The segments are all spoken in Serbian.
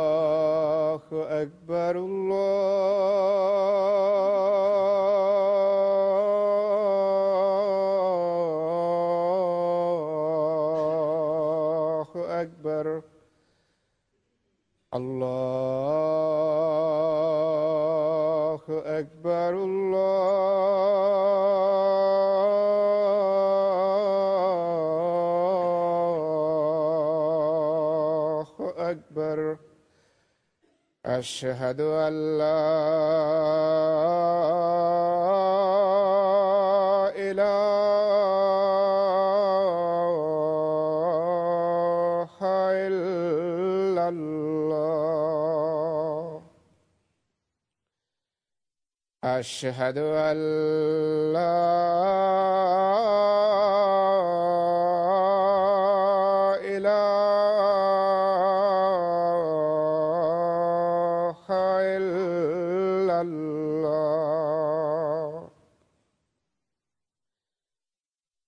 الله أكبر الله أكبر الله أكبر الله أكبر أشهد أن لا إله إلا الله أشهد أن لا إله إلا الله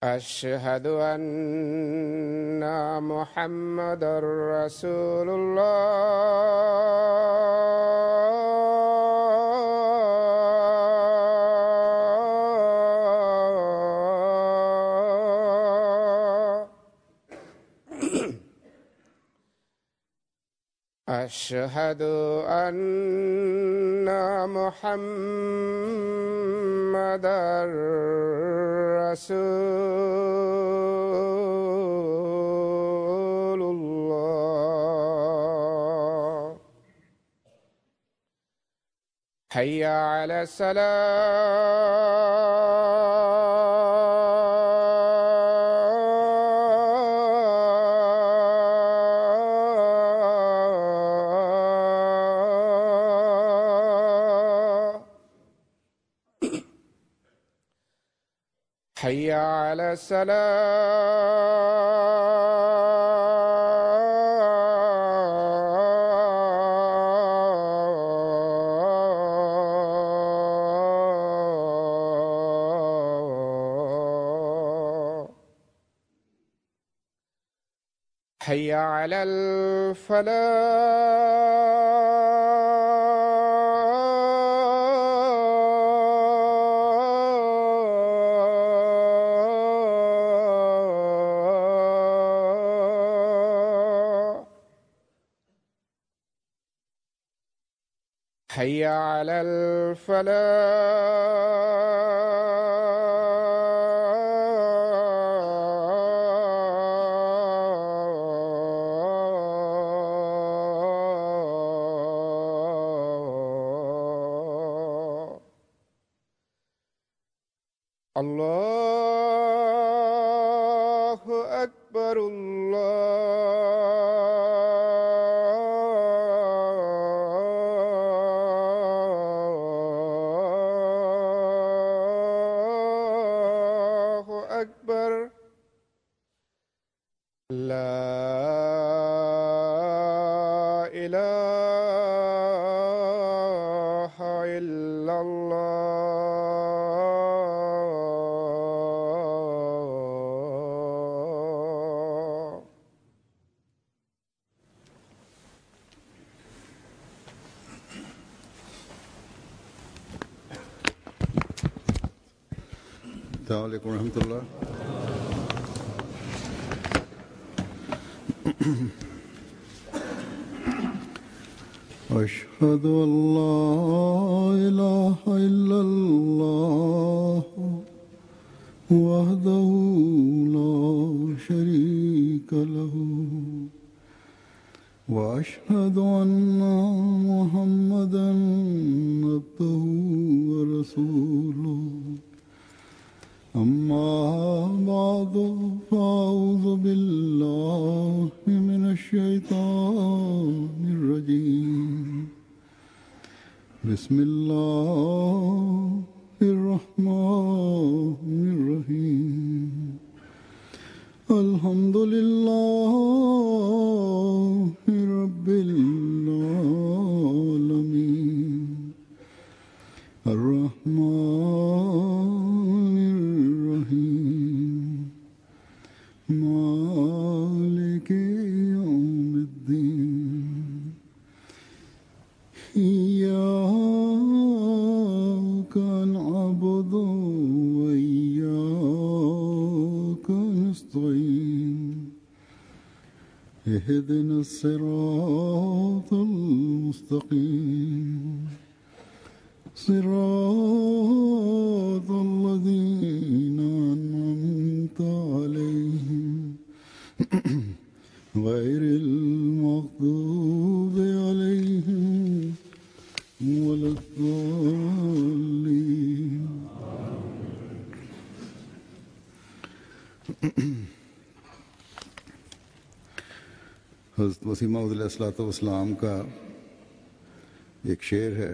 أشهد أن محمدا رسول الله أشهد أن محمدا رسول الله حي على الصلاة حي على الصلاة حي على الفلاح حي على الفلاح الله أكبر الله أكبر لا إله إلا الله السلام عليكم ورحمة الله. أشهد أن لا إله إلا الله وحده لا شريك له وأشهد أن محمدا عبده ورسوله أما بعد فأعوذ بالله من الشيطان الرجيم بسم الله الرحمن الرحيم الحمد لله رب العالمين الرحمن الرحيم مالك اهدنا الصراط المستقيم صراط الذين أنعمت عليهم غير المغضوب عليهم ولا الضالين. حضرت مسیح موعود علیہ الصلوۃ والسلام کا ایک شعر ہے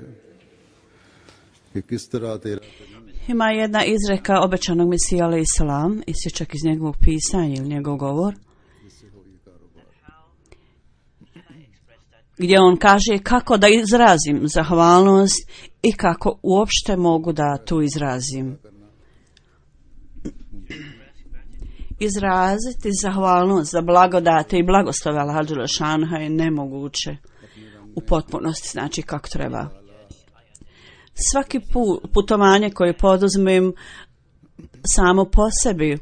کہ کس طرح تیرا Ima jedna izreka obećanog Mesija alejhi selam, isječak iz njegovog pisanja ili njegov govor, gdje on kaže kako da izrazim zahvalnost i kako uopšte mogu da tu izrazim. Izraziti zahvalnost za blagodate i blagoslove Allaha dželle šanuhu je nemoguće u potpunosti, znači kako treba. Svaki putovanje koje poduzmem samo po sebi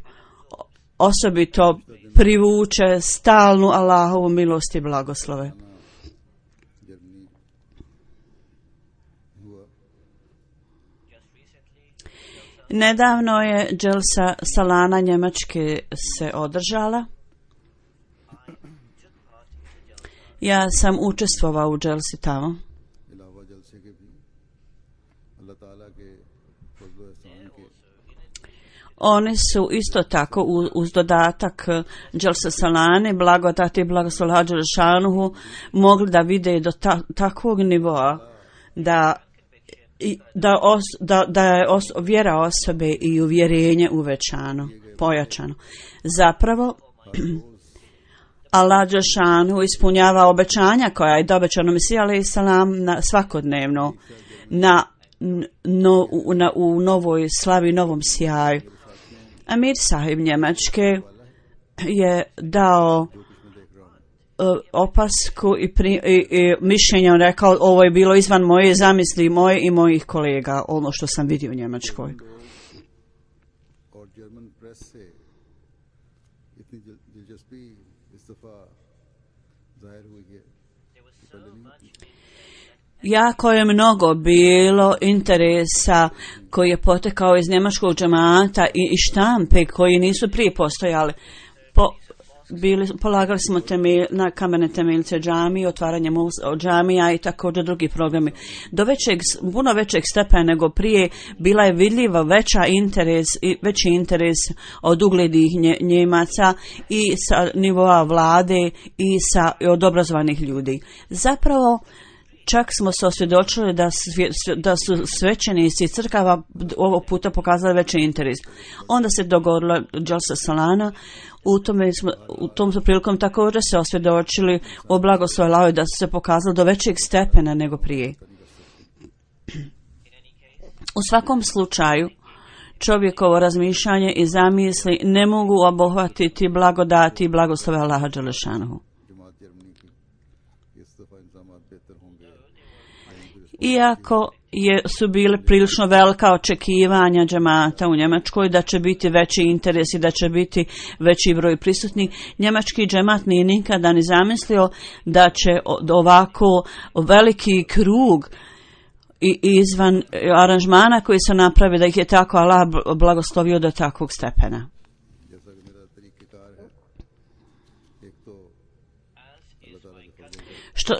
osobito privuče stalnu Allahovu milost i blagoslove. Nedavno je dželsa Salana Njemačke se održala. Ja sam učestvovao u dželsi tamo. Oni su isto tako uz dodatak dželsa Salane, blagodati i blagoslov Allaha dželle šanuhu mogli da vide do takvog nivoa da je vjera osobe i uvjerenje uvećano, pojačano. Zapravo, Allah dželle šanuhu ispunjava obećanja koja je obećano Mesiji alejhi selam svakodnevno u novoj slavi, novom sjaju. Amir sahib Njemačke je dao opasku i mišljenje, on rekao ovo je bilo izvan moje zamisli, moje i mojih kolega, ono što sam vidio u Njemačkoj. Jako je mnogo bilo interesa koji je potekao iz njemačkog džemata i štampe koji nisu prije postojali. Polagali smo na kamene temeljce džamije, otvaranje džamija i također drugi programi. Do puno većeg stepena nego prije bila je vidljiva veći interes od uglednih Njemaca i sa nivoa vlade i od obrazovanih ljudi. Zapravo, čak smo se osvjedočili da su svećenici crkava ovog puta pokazali veći interes. Onda se dogodila dželsa Salana. U tom prilikom također se osvjedočili o blagoslovu Allahovu da su se pokazali do većeg stepena nego prije. U svakom slučaju, čovjekovo razmišljanje i zamisli ne mogu obuhvatiti blagodati i blagoslove Allaha dželle šanuhu. Iako su bile prilično velika očekivanja džemata u Njemačkoj da će biti veći interes i da će biti veći broj prisutnih, njemački džemat nije nikada ni zamislio da će ovako veliki krug i izvan aranžmana koji se napravi da ih je tako Allah blagoslovio do takvog stepena.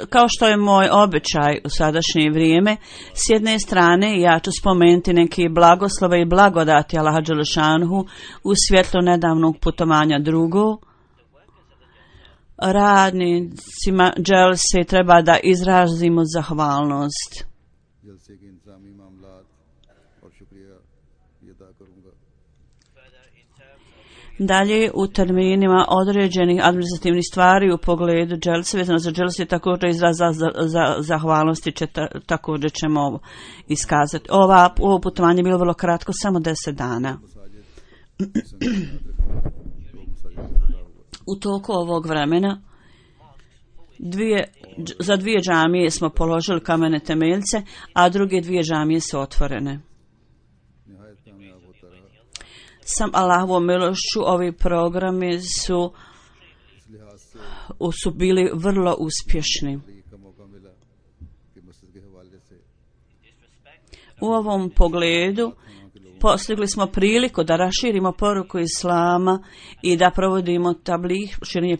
Kao što je moj običaj u sadašnje vrijeme, s jedne strane ja ću spomenuti neke blagoslove i blagodati Allaha dželle šanuhu u svjetlu nedavnog putovanja. Drugo, radnicima dželse treba da izrazimo zahvalnost. Dalje, u terminima određenih administrativnih stvari u pogledu dželse, vezano za dželse, također izraz za zahvalnosti također ćemo ovo iskazati. Ovo putovanje je bilo vrlo kratko, samo 10 dana. U toku ovog vremena za 2 džamije smo položili kamene temeljce, a druge 2 džamije su otvorene. Sam Allahovom milošću ovi programi su su bili vrlo uspješni. U ovom pogledu postigli smo priliku da raširimo poruku Islama i da provodimo tablih, širenje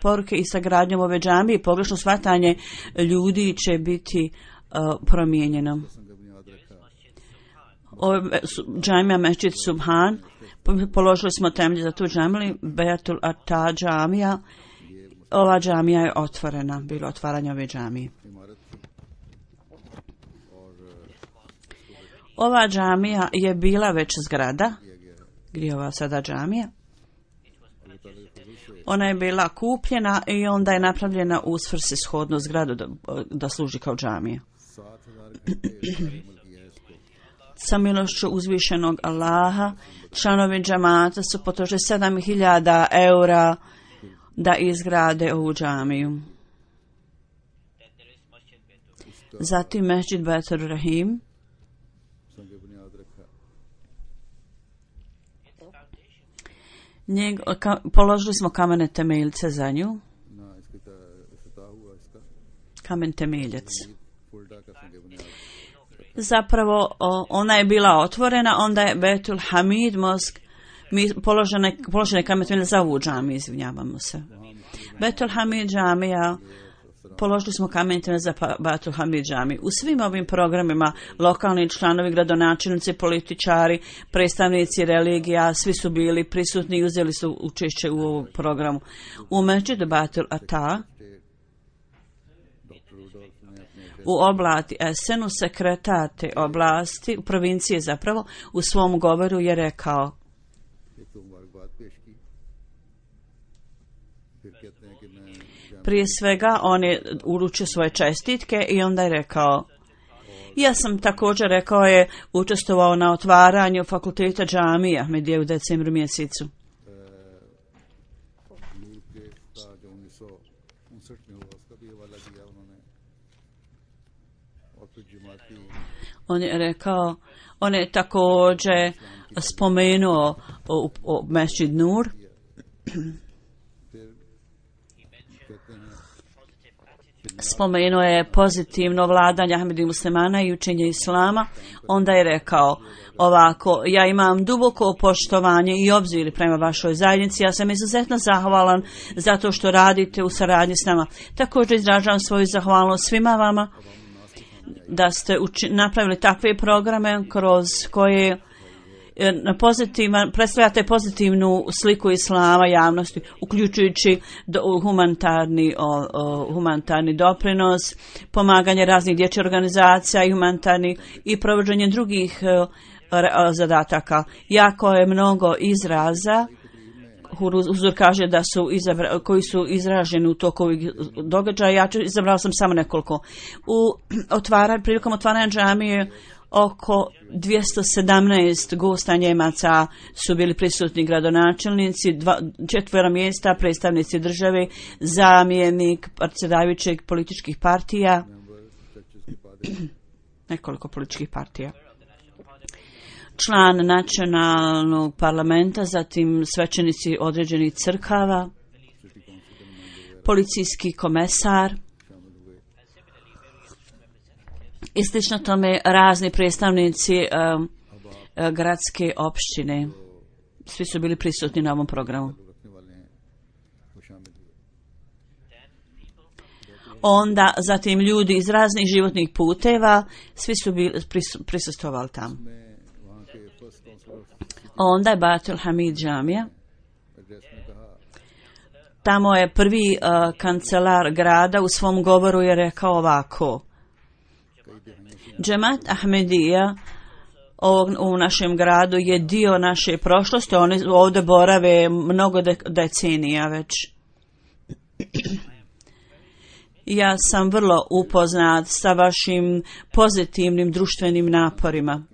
poruke i sa gradnjom ove džamije. Pogrešno shvatanje ljudi će biti promijenjeno. Džamija Mesdžid Subhan, položili smo temelje za tu džamiju, Beatul Ata džamija. Ova džamija je otvorena, bilo otvaranje ove džamije. Ova džamija je bila već zgrada, gdje je ova sada džamija. Ona je bila kupljena i onda je napravljena u svrsishodnu zgradu da služi kao džamija. Sa milošću uzvišenog Allaha, članovi džamata su potrošili 7.000 eura da izgrade ovu džamiju. Zatim Mesdžid Betur Rahim. Položili smo kamene temeljce za nju. Kamen temeljac. Zapravo ona je bila otvorena, onda je Betul Hamid Mosk, položene kamen temeljac za ovu džamiju, izvinjavamo se. Betul Hamid džamija, položili smo kamen temeljac za Betul Hamid džamiju. U svim ovim programima lokalni članovi, gradonačelnici, političari, predstavnici religija, svi su bili prisutni i uzeli su učešće u ovom programu. U Mesdžidu Betul Ata, u oblasti Esenu, sekretar te oblasti, u provinciji zapravo, u svom govoru je rekao: prije svega on je uručio svoje čestitke i onda je rekao: ja sam također, rekao je, učestvovao na otvaranju fakulteta džamije Ahmedije u decembru mjesecu. On je rekao, on je također spomenuo Mesdžid Nur. Spomenuo je pozitivno vladanje Ahmedijih muslimana i učenje Islama. Onda je rekao ovako: ja imam duboko poštovanje i obzir prema vašoj zajednici. Ja sam izuzetno zahvalan zato što radite u saradnji s nama. Također izražavam svoju zahvalnost svima vama da ste napravili takve programe kroz koje predstavljate pozitivnu sliku Islama javnosti, uključujući humanitarni doprinos, pomaganje raznih dječjih organizacija i humanitarni i provođenje drugih zadataka. Jako je mnogo izraza. Huzur kaže da su koji su izraženi u toku ovih događaja. Izabrao sam samo nekoliko. Prilikom otvaranja džamije oko 217 gosta Njemaca su bili prisutni, gradonačelnici, 4 mjesta, predstavnici države, zamjenik predsjedavajućeg političkih partija, nekoliko političkih partija, član nacionalnog parlamenta, zatim svećenici određenih crkava, policijski komesar i slično tome razni predstavnici gradske opštine. Svi su bili prisutni na ovom programu. Onda zatim ljudi iz raznih životnih puteva, svi su bili prisustvovali tamo. Onda je Betul Hamid džamija. Tamo je prvi kancelar grada u svom govoru je rekao ovako: Džemat Ahmedija u našem gradu je dio naše prošlosti, oni ovdje borave mnogo decenija već. Ja sam vrlo upoznat sa vašim pozitivnim društvenim naporima.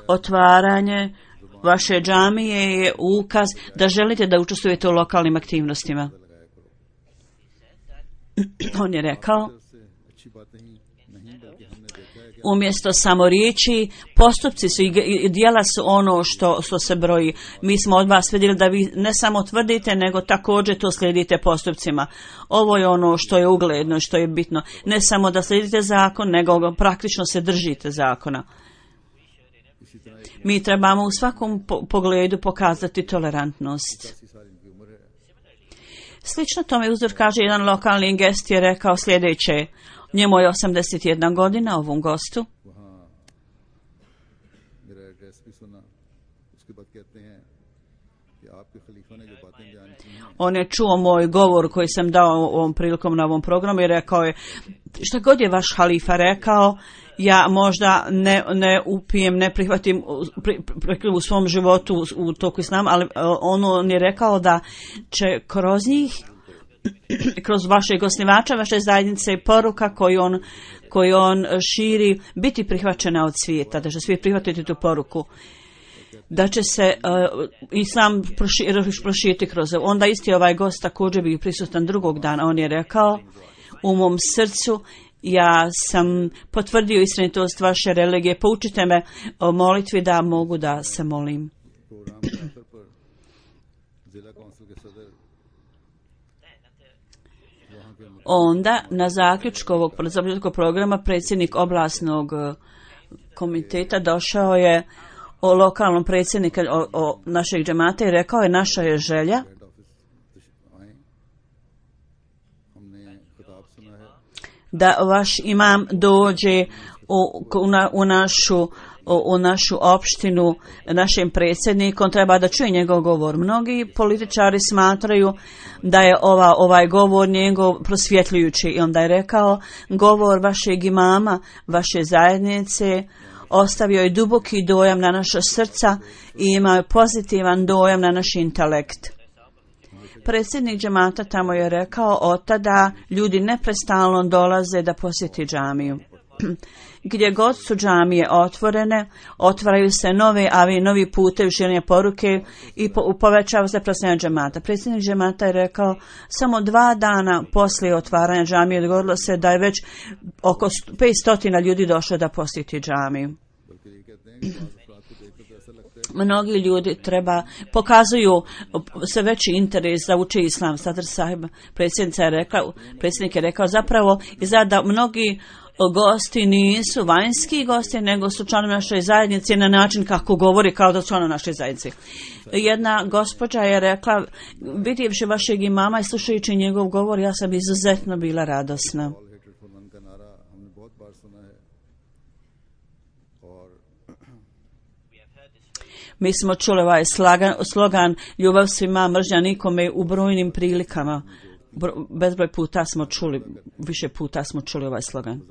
Otvaranje vaše džamije je ukaz da želite da učestvujete u lokalnim aktivnostima. On je rekao umjesto samo riječi, postupci su i djela su ono što se broji. Mi smo od vas vidjeli da vi ne samo tvrdite, nego također to slijedite postupcima. Ovo je ono što je ugledno, što je bitno. Ne samo da slijedite zakon, nego praktično se držite zakona. Mi trebamo u svakom pogledu pokazati tolerantnost. Slično tome uzor kaže jedan lokalni gest je rekao sljedeće. Njemu je 81 godina, ovom gostu. On je čuo moj govor koji sam dao ovom prilikom na ovom programu i rekao je, šta god je vaš halifa rekao, ja možda ne upijem, ne prihvatim u svom životu u toku islama, ali on je rekao da će kroz njih, kroz vašeg osnivača, vaše zajednice i poruka koju on širi biti prihvaćena od svijeta, da će svi prihvatiti tu poruku, da će se islam proširiti kroz ovo. Onda isti ovaj gost također bio prisutan drugog dana. On je rekao, u mom srcu ja sam potvrdio istinitost vaše religije, poučite me o molitvi da mogu da se molim. Onda, na zaključku ovog programa, predsjednik oblasnog komiteta došao je o lokalnom predsjedniku o našeg džemata i rekao je, naša je želja da vaš imam dođe u našu opštinu, našem predsjednikom, treba da čuje njegov govor. Mnogi političari smatraju da je ovaj govor njegov prosvjetljujući i onda je rekao, govor vašeg imama, vaše zajednice, ostavio je duboki dojam na naša srca i imao je pozitivan dojam na naš intelekt. Predsjednik džemata tamo je rekao, od tada ljudi neprestalno dolaze da posjeti džamiju. Gdje god su džamije otvorene, otvaraju se novi putevi širenja poruke i povećava se prostorija džemata. Predsjednik džemata je rekao, samo 2 dana poslije otvaranja džamije dogodilo se da je već oko 500 ljudi došlo da posjeti džamiju. Mnogi ljudi pokazuju sve veći interes da uče islam. Sadr sahib, predsjednik je rekao zapravo da mnogi gosti nisu vanjski gosti, nego su članovi naše zajednice na način kako govori kao da su članovi naše zajednice. Jedna gospođa je rekla, vidjevši vašeg imama i slušajući njegov govor, ja sam izuzetno bila radosna. Mi smo čuli ovaj slogan ljubav svima, mržnja nikome u brojnim prilikama. Bezbroj puta smo čuli, više puta smo čuli ovaj slogan.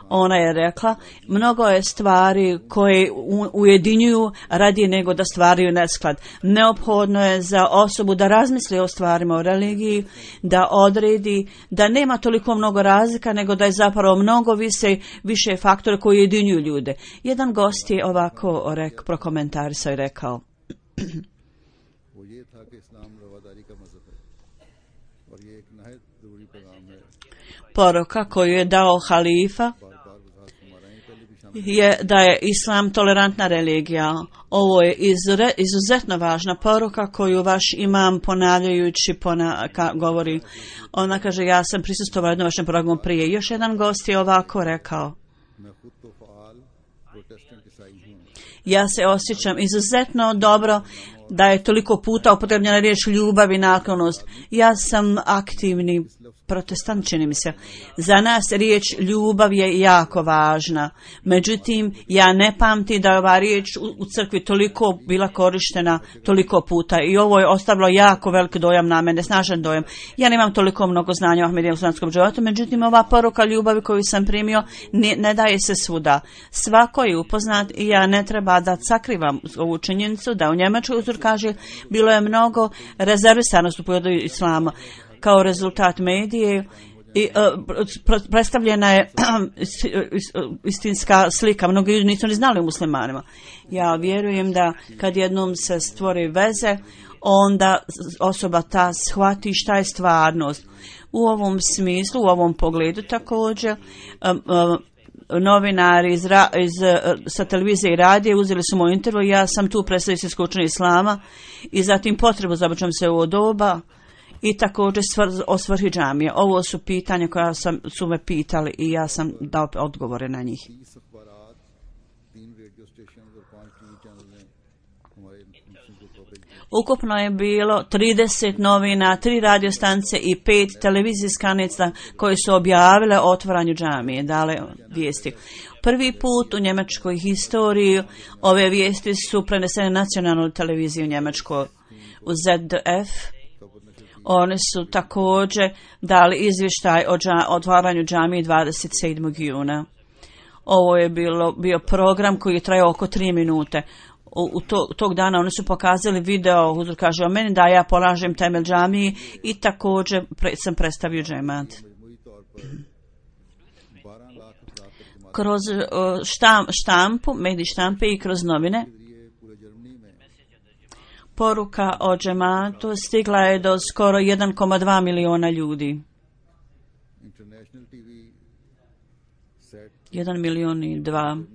Ona je rekla, mnogo je stvari koje ujedinjuju radije nego da stvaraju nesklad. Neophodno je za osobu da razmisli o stvarima o religiji, da odredi, da nema toliko mnogo razlika, nego da je zapravo mnogo više faktora koji ujedinjuju ljude. Jedan gost je ovako prokomentarisao i rekao, poruka koju je dao halifa je da je islam tolerantna religija. Ovo je izuzetno važna poruka koju vaš imam ponavljajući govori. Ona kaže, ja sam prisustovala jednom vašem programu prije. Još jedan gost je ovako rekao, ja se osjećam izuzetno dobro da je toliko puta upotrebljena riječ ljubav i naklonost. Ja sam aktivni protestant, čini mi se. Za nas riječ ljubav je jako važna. Međutim, ja ne pamtim da je ova riječ u crkvi toliko bila korištena toliko puta i ovo je ostavilo jako velik dojam na mene, snažan dojam. Ja nemam toliko mnogo znanja o Ahmedijem muslimanskom životu, međutim ova poruka ljubavi koju sam primio ne daje se svuda. Svako je upoznat i ja ne treba da sakrivam ovu činjenicu da u Njemačkoj uzor kaže bilo je mnogo rezervisanosti u pogledu islama. Kao rezultat medije i predstavljena je istinska slika. Mnogi ljudi nisu ni znali o muslimanima. Ja vjerujem da kad jednom se stvori veze, onda osoba ta shvati šta je stvarnost. U ovom smislu, u ovom pogledu također, novinari sa televizije i radije uzeli su moj intervju. Ja sam tu predstavio se skučenje islama i zatim potrebu za obraćam se u doba i također o svrhi džamije. Ovo su pitanja koja su me pitali i ja sam dao odgovore na njih. Ukupno je bilo 30 novina, 3 radiostanice i 5 televizijskih stanica koje su objavile o otvaranju džamije, dale vijesti. Prvi put u njemačkoj historiji ove vijesti su prenesene na nacionalnu televiziju u Njemačkoj, u ZDF. Oni su također dali izvještaj o otvaranju džamije 27. juna. Ovo je bio program koji je trajao oko 3 minute. Tog dana oni su pokazali video, Huzur kaže o meni da ja polažem temelj džamiji i također sam predstavio džemat. Kroz štampu, medij štampe i kroz novine, poruka o džematu stigla je do skoro 1,2 miliona ljudi. 1 milion i 2.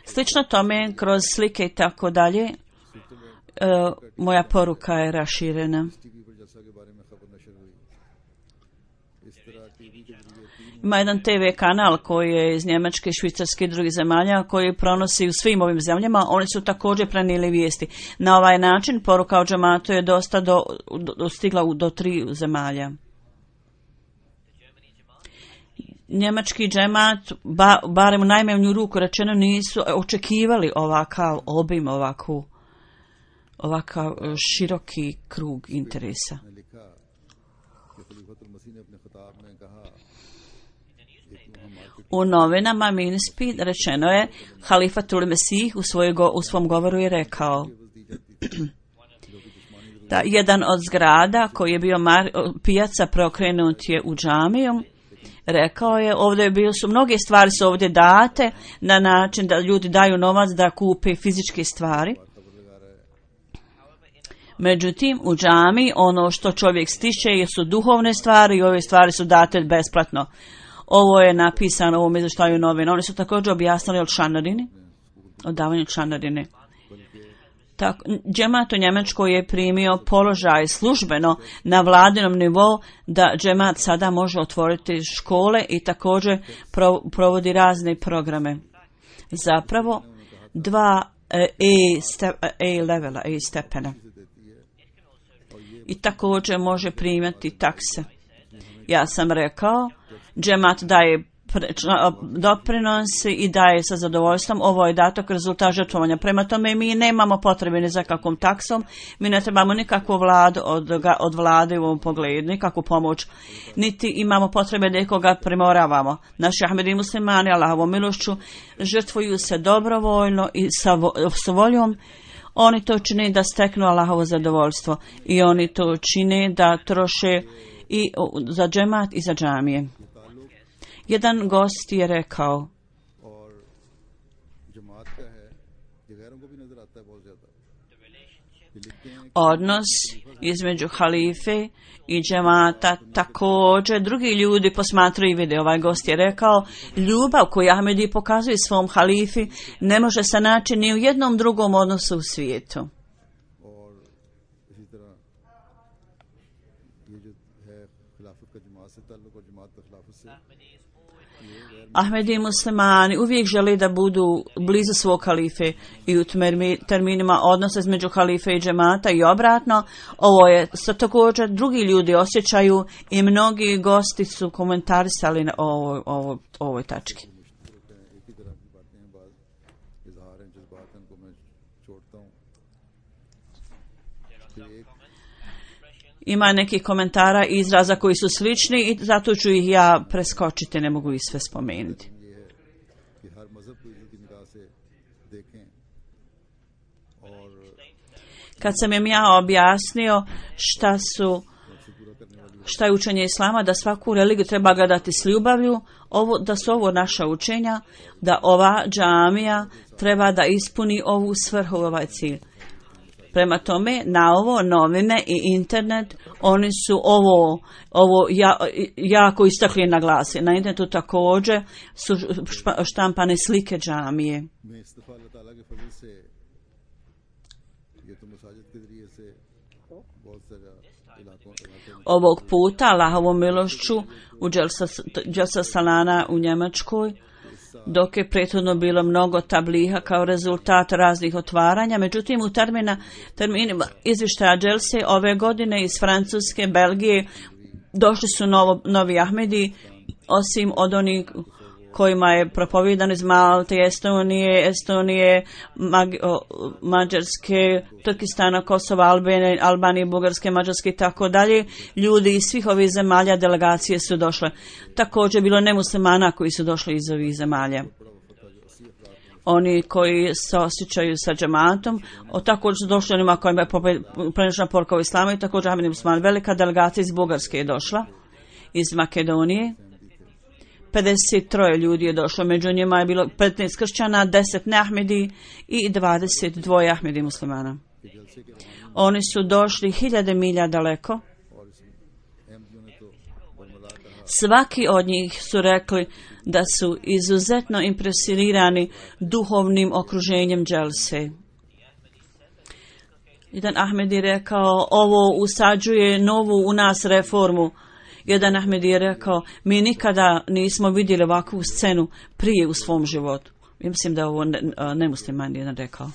Slično tome, kroz slike i tako dalje, moja poruka je raširena. Ima jedan TV kanal koji je iz Njemačke, Švicarske i drugih zemalja koji pronosi u svim ovim zemljama. Oni su također prenijeli vijesti. Na ovaj način poruka o džematu je dosta dostigla do 3 zemalja. Njemački džemat, barem u najmanju ruku rečeno, nisu očekivali ovakav obim, ovakav široki krug interesa. U novinama Minspid rečeno je, Halifatul Mesih u svom govoru je rekao da jedan od zgrada koji je bio pijaca preokrenut je u džamiju. Rekao je, ovdje su mnoge stvari su ovdje date na način da ljudi daju novac da kupe fizičke stvari. Međutim, u džami ono što čovjek stiče su duhovne stvari i ove stvari su date besplatno. Ovo je napisano u ovom izvještaju novina. Oni su također objasnili o članarini, o davanju članarine. Džemat u Njemačkoj je primio položaj službeno na vladinom nivou da džemat sada može otvoriti škole i također provodi razne programe. Zapravo 2 A stepena. I također može primati takse. Ja sam rekao, džemat daje doprinosi i daje sa zadovoljstvom. Ovo je dato kao rezultat žrtvovanja. Prema tome mi nemamo potrebe ni za kakvom taksom, mi ne trebamo nikakvu vladu od vlade u ovom pogledu, nikakvu pomoć, niti imamo potrebe da koga primoravamo. Naši Ahmedi muslimani, Allahovom milošću, žrtvuju se dobrovoljno i sa voljom. Oni to čine da steknu Allahovo zadovoljstvo i oni to čine da troše i za džemat i za džamije. Jedan gost je rekao, odnos između halife i džemata također drugi ljudi posmatraju i vide. Ovaj gost je rekao, ljubav koju Ahmedi pokazuje svom halifi ne može se naći ni u jednom drugom odnosu u svijetu. Ahmedi muslimani uvijek žele da budu blizu svog halife i u terminima odnosa između halife i džemata i obratno. Ovo je također drugi ljudi osjećaju i mnogi gosti su komentarisali na ovoj tački. Ima nekih komentara i izraza koji su slični i zato ću ih ja preskočiti, ne mogu ih sve spomenuti. Kad sam im ja objasnio šta je učenje islama, da svaku religiju treba gledati s ljubavlju, da su ovo naša učenja, da ova džamija treba da ispuni ovu svrhu, ovaj cilj. Prema tome, na ovo novine i internet, oni su ovo jako istakli na glasi. Na internetu također su štampane slike džamije. Ovog puta, Allahovom milošću, u Dželsa Salana u Njemačkoj, dok je prethodno bilo mnogo tabliha kao rezultat raznih otvaranja. Međutim, u terminima izvještaja Dželse ove godine iz Francuske, Belgije, došli su novi Ahmedi, osim od onih kojima je propovidan iz Malte, Estonije, Mađarske, Turkistana, Kosova, Albanije, Bugarske, Mađarske i tako dalje. Ljudi iz svih ovih zemalja delegacije su došle. Također bilo nemuslimana koji su došli iz ovih zemalja. Oni koji se osjećaju sa džematom, također su došli onima kojima je prenešena poruka o islamu i također Ahmedi musliman. Velika delegacija iz Bugarske je došla, iz Makedonije. 53 ljudi je došlo, među njima je bilo 15 kršćana, 10 neahmedi i 22 ahmedi muslimana. Oni su došli 1000 milja daleko. Svaki od njih su rekli da su izuzetno impresionirani duhovnim okruženjem dželse. Jedan Ahmed je rekao, ovo usađuje novu u nas reformu. Jedan Ahmed je rekao, mi nikada nismo vidjeli ovakvu scenu prije u svom životu. Ja mislim da ovo nemusliman jedan rekao.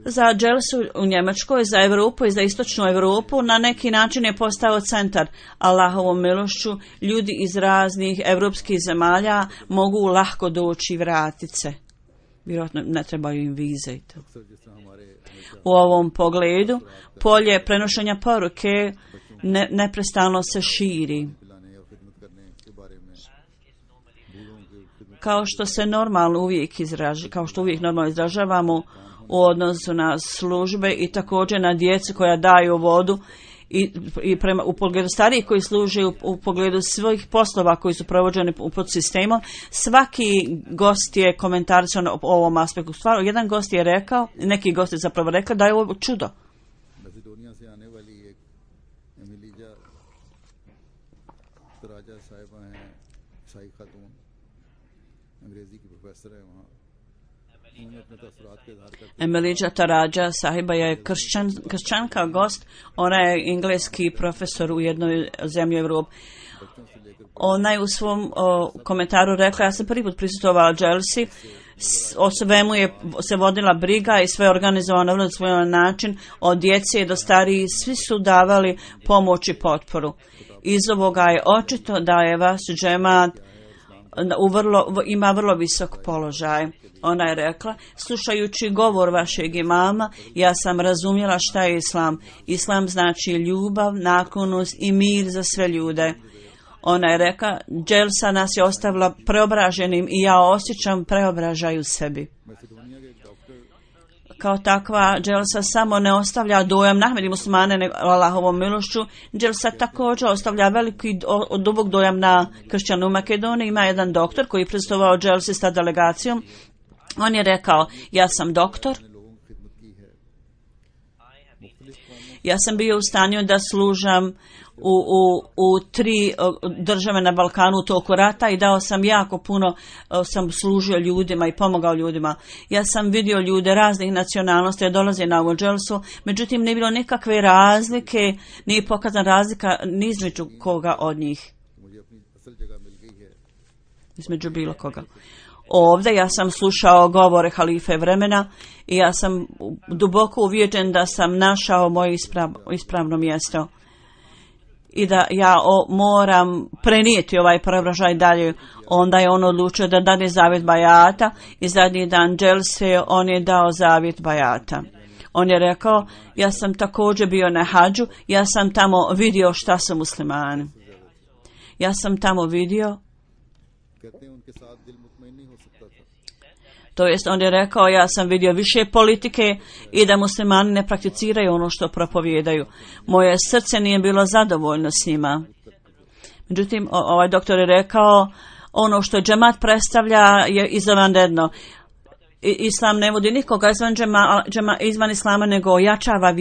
Za dželsu u Njemačkoj, za Europu i za istočnu Europu na neki način je postao centar. Allahovom milošću ljudi iz raznih europskih zemalja mogu lahko doći i vratiti se. Vjerojatno ne trebaju im vize i to. U ovom pogledu polje prenošenja poruke neprestano se širi. Kao što se normalno uvijek normalno izražavamo u odnosu na službe i također na djecu koja daju vodu i u pogledu starijih koji služe u pogledu svojih poslova koji su provođeni pod sistemom, svaki gost je komentarisao o ovom aspektu. Jedan gost je rekao, neki gost je zapravo rekao da je ovo čudo. Emelidža Tarađa sahiba je kršćanka gost, ona je engleski profesor u jednoj zemlji Evrope. Ona je u svom komentaru rekla, ja sam prvi put prisustvovala dželsi, o svemu je se vodila briga i sve organizovano na svoj način, od djece do starijih, svi su davali pomoć i potporu. Iz ovoga je očito da je vaš džemat ima vrlo visok položaj. Ona je rekla, slušajući govor vašeg imama, ja sam razumjela šta je islam. Islam znači ljubav, naklonost i mir za sve ljude. Ona je rekla, dželsa nas je ostavila preobraženim i ja osjećam preobražaj u sebi. Kao takva, dželsa samo ne ostavlja dojam na Ahmedi muslimane nego Allahovom milošću. Dželsa također ostavlja veliki dubok dojam na kršćane u Makedoniji. Ima jedan doktor koji je prisustvovao dželsi s delegacijom. On je rekao, ja sam doktor. Ja sam bio u stanju da služam u 3 države na Balkanu u toku rata i dao sam jako puno, sam služio ljudima i pomogao ljudima. Ja sam vidio ljude raznih nacionalnosti da dolaze na ovu dželsu, međutim nije bilo nikakve razlike, nije pokazana razlika ni između koga od njih. Između bilo koga. Ovdje ja sam slušao govore halife vremena i ja sam duboko uvjeren da sam našao moje ispravno mjesto i da ja moram prenijeti ovaj preobražaj dalje. Onda je on odlučio da dane zavjet bajata i zadnji dan dželse on je dao zavjet bajata. On je rekao, ja sam također bio na hadžu, ja sam tamo vidio šta su muslimani. Ja sam tamo vidio, to jest on je rekao, ja sam vidio više politike i da muslimani ne prakticiraju ono što propovijedaju. Moje srce nije bilo zadovoljno s njima. Međutim, ovaj doktor je rekao, ono što džemat predstavlja je izvanredno. Islam ne vodi nikoga izvan islama, nego ojačava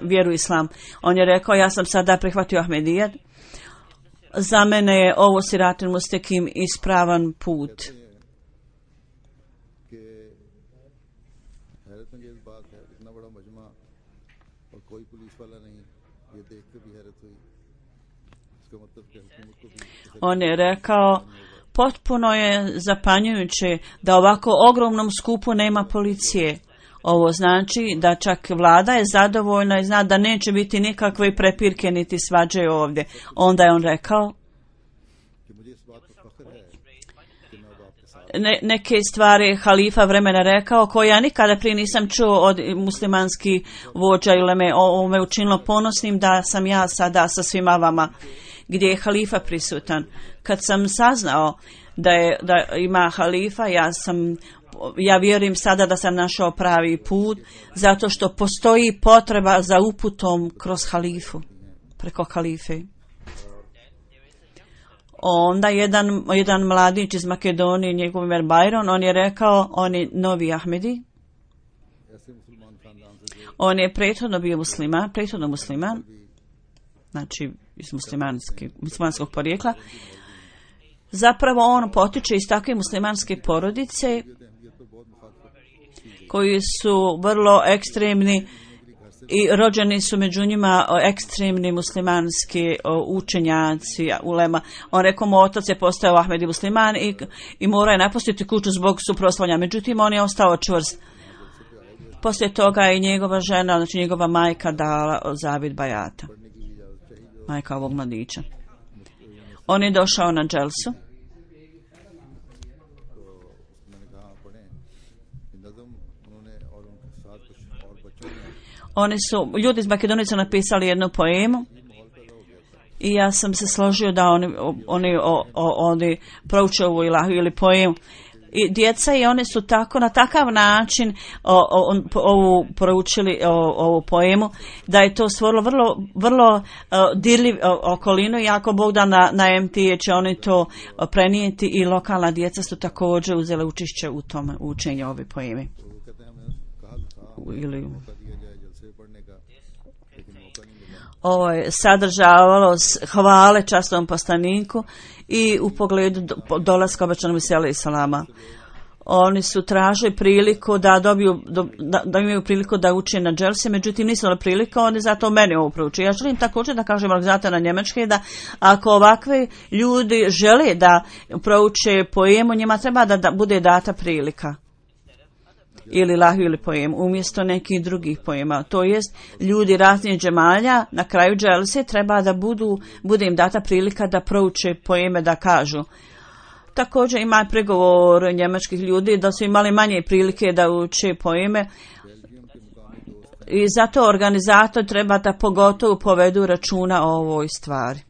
vjeru islam. On je rekao, ja sam sada prihvatio Ahmedijet. Za mene je ovo Siratul Mustekim ispravan put. On je rekao, potpuno je zapanjujuće da ovako ogromnom skupu nema policije. Ovo znači da čak vlada je zadovoljna i zna da neće biti nikakve prepirke niti svađe ovdje. Onda je on rekao, neke stvari halifa vremena rekao koje ja nikada prije nisam čuo od muslimanskih vođa ili me učinilo ponosnim da sam ja sada sa svima vama gdje je halifa prisutan. Kad sam saznao da ima halifa, ja vjerujem sada da sam našao pravi put, zato što postoji potreba za uputom kroz halifu, preko halife. Onda jedan mladić iz Makedonije, njegov ime Bajron, on je rekao, on je novi Ahmedi. On je prethodno bio musliman, znači iz muslimanskog porijekla. Zapravo on potiče iz takve muslimanske porodice koji su vrlo ekstremni i rođeni su među njima ekstremni muslimanski učenjaci, ulema. On rekao, moj otac je postao Ahmedi musliman i morao je napustiti kuću zbog suprotstavljanja. Međutim, on je ostao čvrst. Poslije toga je njegova žena, znači njegova majka dala zavid bajata. Majka ovog mladića. On je došao na dželsu. Ljudi iz Makedonije su napisali jednu poemu i ja sam se složio da oni prouče ovu ilahu ili poemu. I djeca i one su na takav način ovu proučili ovu poemu da je to stvorilo vrlo dirljiv okolinu i ako Bog da na MT će oni to prenijeti i lokalna djeca su također uzele učešće u tom učenju ove poeme. Ovo je sadržavalo hvale časnom poslaniku i u pogledu dolaska obećanog alejhi salama. Oni su tražili priliku da imaju priliku da uče na dželsi, međutim nisu imali priliku, oni zato meni ovo prouče. Ja želim također da kažem organizatora na njemački da ako ovakvi ljudi žele da prouče poemu, njima treba da bude data prilika. Ili lahju ili pojem, umjesto nekih drugih pojema. To jest, ljudi raznih džemalja na kraju dželse treba da bude im data prilika da prouče pojeme, da kažu. Također ima pregovor njemačkih ljudi da su imali manje prilike da uče pojeme i zato organizator treba da pogotovo povedu računa o ovoj stvari.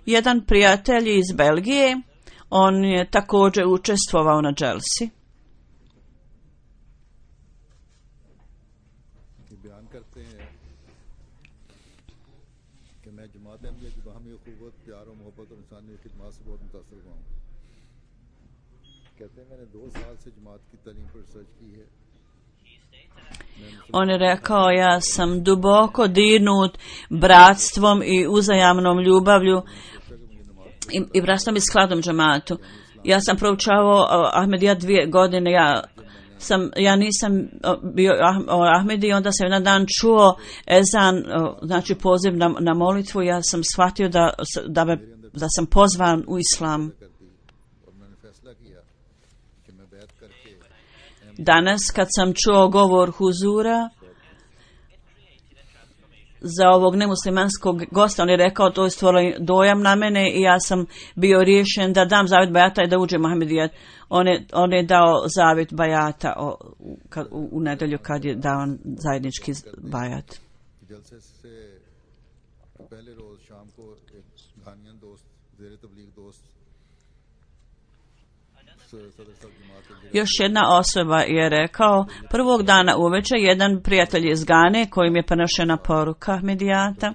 Jedan prijatelj iz Belgije, on je također učestvovao na dželsi. On je rekao, ja sam duboko dirnut bratstvom i uzajamnom ljubavlju i bratstvom i skladom džematu. Ja sam proučavao Ahmedijat 2 godine, ja nisam bio Ahmedi, onda sam jedan dan čuo ezan, znači poziv na molitvu, ja sam shvatio da sam pozvan u islam. Danas kad sam čuo govor huzura za ovog nemuslimanskog gosta, on je rekao, to je stvorilo dojam na mene i ja sam bio riješen da dam zavjet bajata i da uđem u Ahmedijat. On je dao zavjet bajata u nedjelju kad je dao zajednički bajat. Još jedna osoba je rekao, prvog dana uveče jedan prijatelj iz Gane kojim je prenošena poruka Ahmedijata.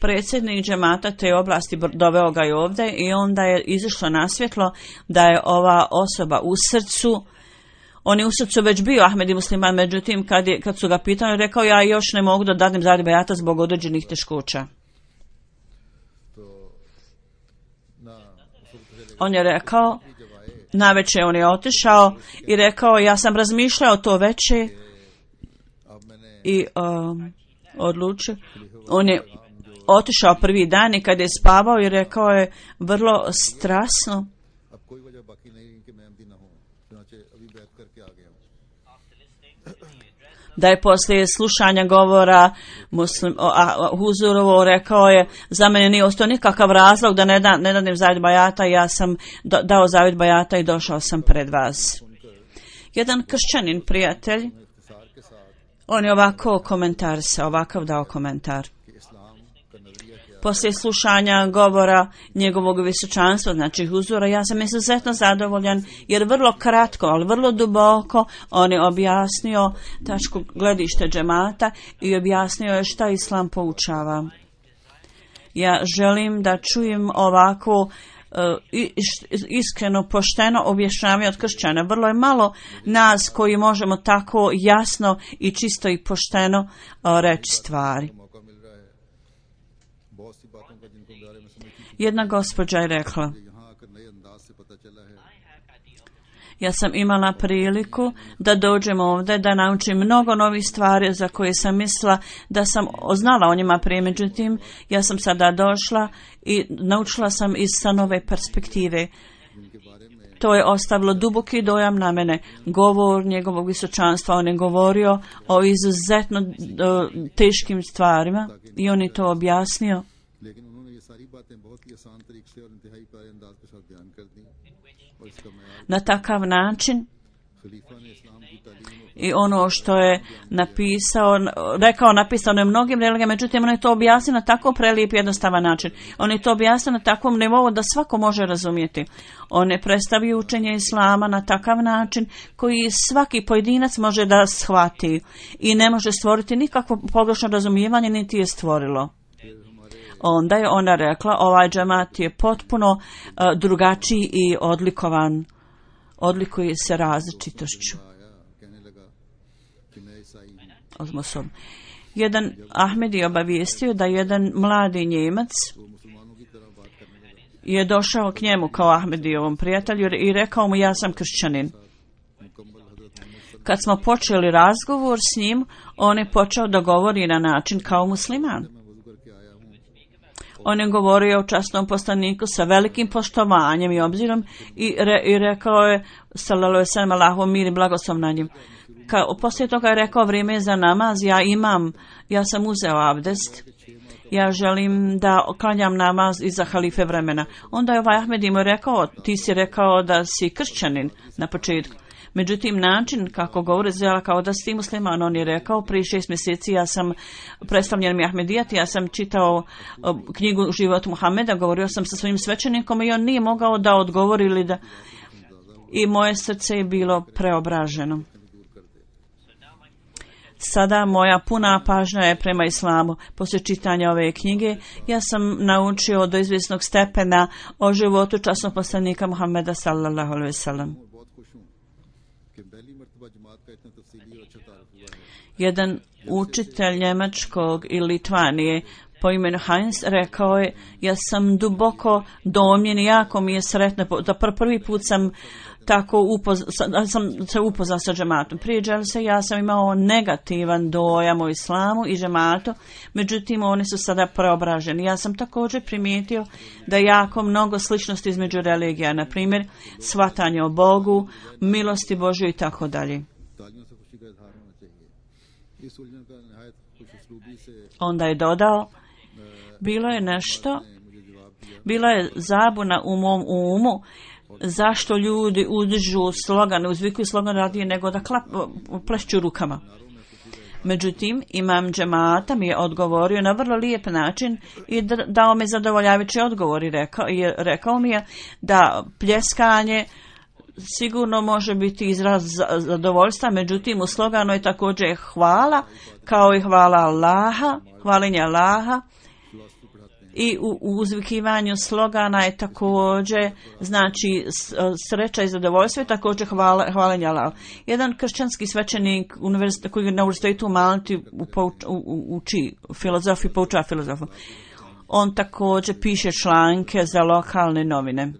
predsjednik džemata te oblasti doveo ga i ovdje i onda je izišlo na svjetlo da je ova osoba u srcu, on je u srcu već bio Ahmedi musliman, međutim kad su ga pitali, rekao ja još ne mogu da dadim zadnji bejata zbog određenih teškoća. On je rekao, navečer on je otišao i rekao ja sam razmišljao to veče i odlučio. On je otišao prvi dan i kad je spavao i rekao je vrlo strasno. Da je poslije slušanja govora Huzurovo rekao je za mene nije ostao nikakav razlog da ne danim zavjet bajata, ja sam dao zavjet bajata i došao sam pred vas. Jedan kršćanin prijatelj, on je ovakav dao komentar. Poslije slušanja govora njegovog visočanstva, znači Huzura, ja sam izuzetno zadovoljan jer vrlo kratko, ali vrlo duboko on je objasnio tačku gledište džemata i objasnio je šta Islam poučava. Ja želim da čujem ovako iskreno, pošteno objašnjavanje od kršćana. Vrlo je malo nas koji možemo tako jasno i čisto i pošteno reći stvari. Jedna gospođa je rekla, ja sam imala priliku da dođem ovdje, da naučim mnogo novih stvari za koje sam mislila da sam znala o njima prije, međutim ja sam sada došla i naučila sam sa nove perspektive. To je ostavilo duboki dojam na mene. Govor njegovog visočanstva, on je govorio o izuzetno teškim stvarima i on je to objasnio. Na takav način i ono što je napisano je mnogim religijama, međutim on je to objasnio na tako prelijep jednostavan način. On je to objasnio na takvom nivou da svako može razumjeti. On je predstavio učenje Islama na takav način koji svaki pojedinac može da shvati i ne može stvoriti nikakvo pogrešno razumijevanje, niti je stvorilo. Onda je ona rekla, ovaj džemat je potpuno drugačiji i odlikovan. Odlikuje se različitošću. Jedan Ahmed je obavijestio da jedan mladi Njemac je došao k njemu kao Ahmedijevom prijatelju i rekao mu ja sam kršćanin. Kad smo počeli razgovor s njim, on je počeo da govori na način kao musliman. On je govorio o časnom poslaniku sa velikim poštovanjem i obzirom i rekao je sallallahu alejhi ve sellem, Allahu mir i blagoslov na njim. Poslije toga je rekao vrijeme je za namaz, ja sam uzeo abdest, ja želim da klanjam namaz iza halife vremena. Onda je ovaj Ahmed im rekao, ti si rekao da si kršćanin na početku. Međutim, način kako govori zela kao da si musliman, on je rekao, prije 6 mjeseci ja sam predstavljen mi Ahmedijat, ja sam čitao knjigu Život Muhameda, govorio sam sa svojim svećenikom i on nije mogao da odgovori ili da... I moje srce je bilo preobraženo. Sada moja puna pažnja je prema islamu. Poslije čitanja ove knjige ja sam naučio do izvjesnog stepena o životu časnog poslanika Muhameda sallallahu alejhi ve sellem. Jedan učitelj njemačkog i Litvanije po imenu Heinz rekao je, ja sam duboko domljen i jako mi je sretno da prvi put sam tako se upoznao sa džematom. Prije dželse ja sam imao negativan dojam o islamu i džematu, međutim oni su sada preobraženi. Ja sam također primijetio da je jako mnogo sličnosti između religija, na primjer shvatanje o Bogu, milosti Božjoj i tako dalje. Onda je dodao, bila je zabuna u mom umu zašto ljudi uzdižu slogane, uzvikuju slogan radije nego da plešću rukama. Međutim, imam džemata mi je odgovorio na vrlo lijep način i dao mi zadovoljavajući odgovor i rekao mi je da pljeskanje sigurno može biti izraz zadovoljstva, međutim u sloganu je također hvala, kao i hvala Allaha, hvalenje Allaha i u uzvikivanju slogana je također, znači sreća i zadovoljstvo, također hvalenje Allahu. Jedan kršćanski svećenik koji na univerzitetu u Malti uči filozofiju, poučava filozofiju. On također piše članke za lokalne novine.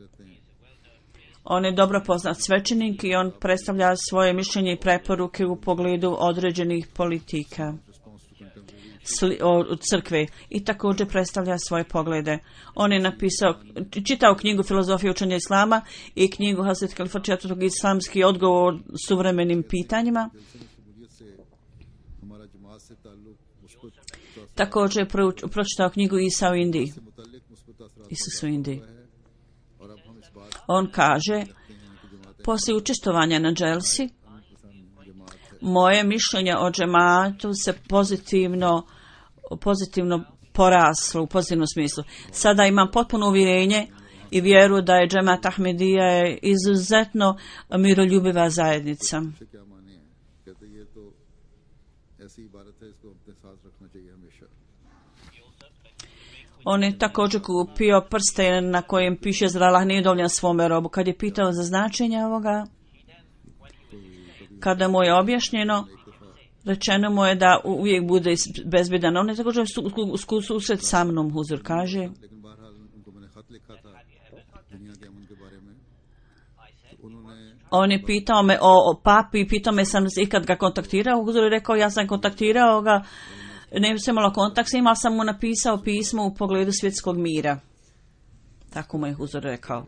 On je dobro poznat svećenik i on predstavlja svoje mišljenje i preporuke u pogledu određenih politika od crkve i također predstavlja svoje poglede. On je čitao knjigu Filozofija učenja islama i knjigu Hazret Kalifa IV. Islamski odgovor suvremenim pitanjima. Također je pročitao knjigu Isa u Indiji. Isus u Indiji. On kaže, poslije učestvovanja na dželsi, moje mišljenje o džematu se pozitivno poraslo u pozitivnom smislu. Sada imam potpuno uvjerenje i vjeru da je džemat Ahmedija izuzetno miroljubiva zajednica. On je također kupio prsten na kojem piše zar Allah nije dovoljan svome robu. Kad je pitao za značenje ovoga, kada mu je objašnjeno, rečeno mu je da uvijek bude bezbjedan. On je također susret sa mnom, huzur kaže. On je pitao me o papi i pitao me sam ikad ga kontaktirao. Huzur je rekao ja sam kontaktirao ga. Ne sam imala kontakt s njim, ali sam mu napisao pismo u pogledu svjetskog mira. Tako mu je huzur rekao.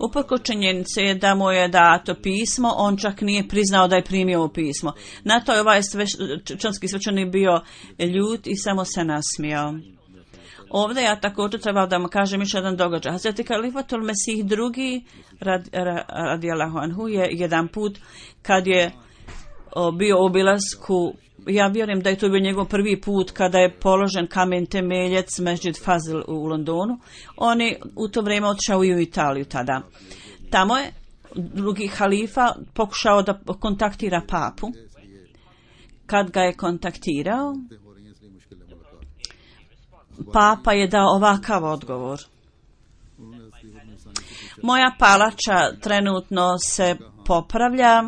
Uprkos činjenice je da mu je dato pismo, on čak nije priznao da je primio ovo pismo. Na to je ovaj čanski svećenik bio ljut i samo se nasmijao. Ovdje ja također trebao da mu kažem još jedan događaj. Hazreti Kalifatul Mesih II radijallahu anhu je jedan put kad je bio u obilasku, ja vjerujem da je to bio njegov prvi put kada je položen kamen temeljac Mesdžid Fazl u Londonu. On je u to vrijeme otišao i u Italiju tada. Tamo je drugi halifa pokušao da kontaktira papu. Kad ga je kontaktirao, papa je dao ovakav odgovor. Moja palača trenutno se popravlja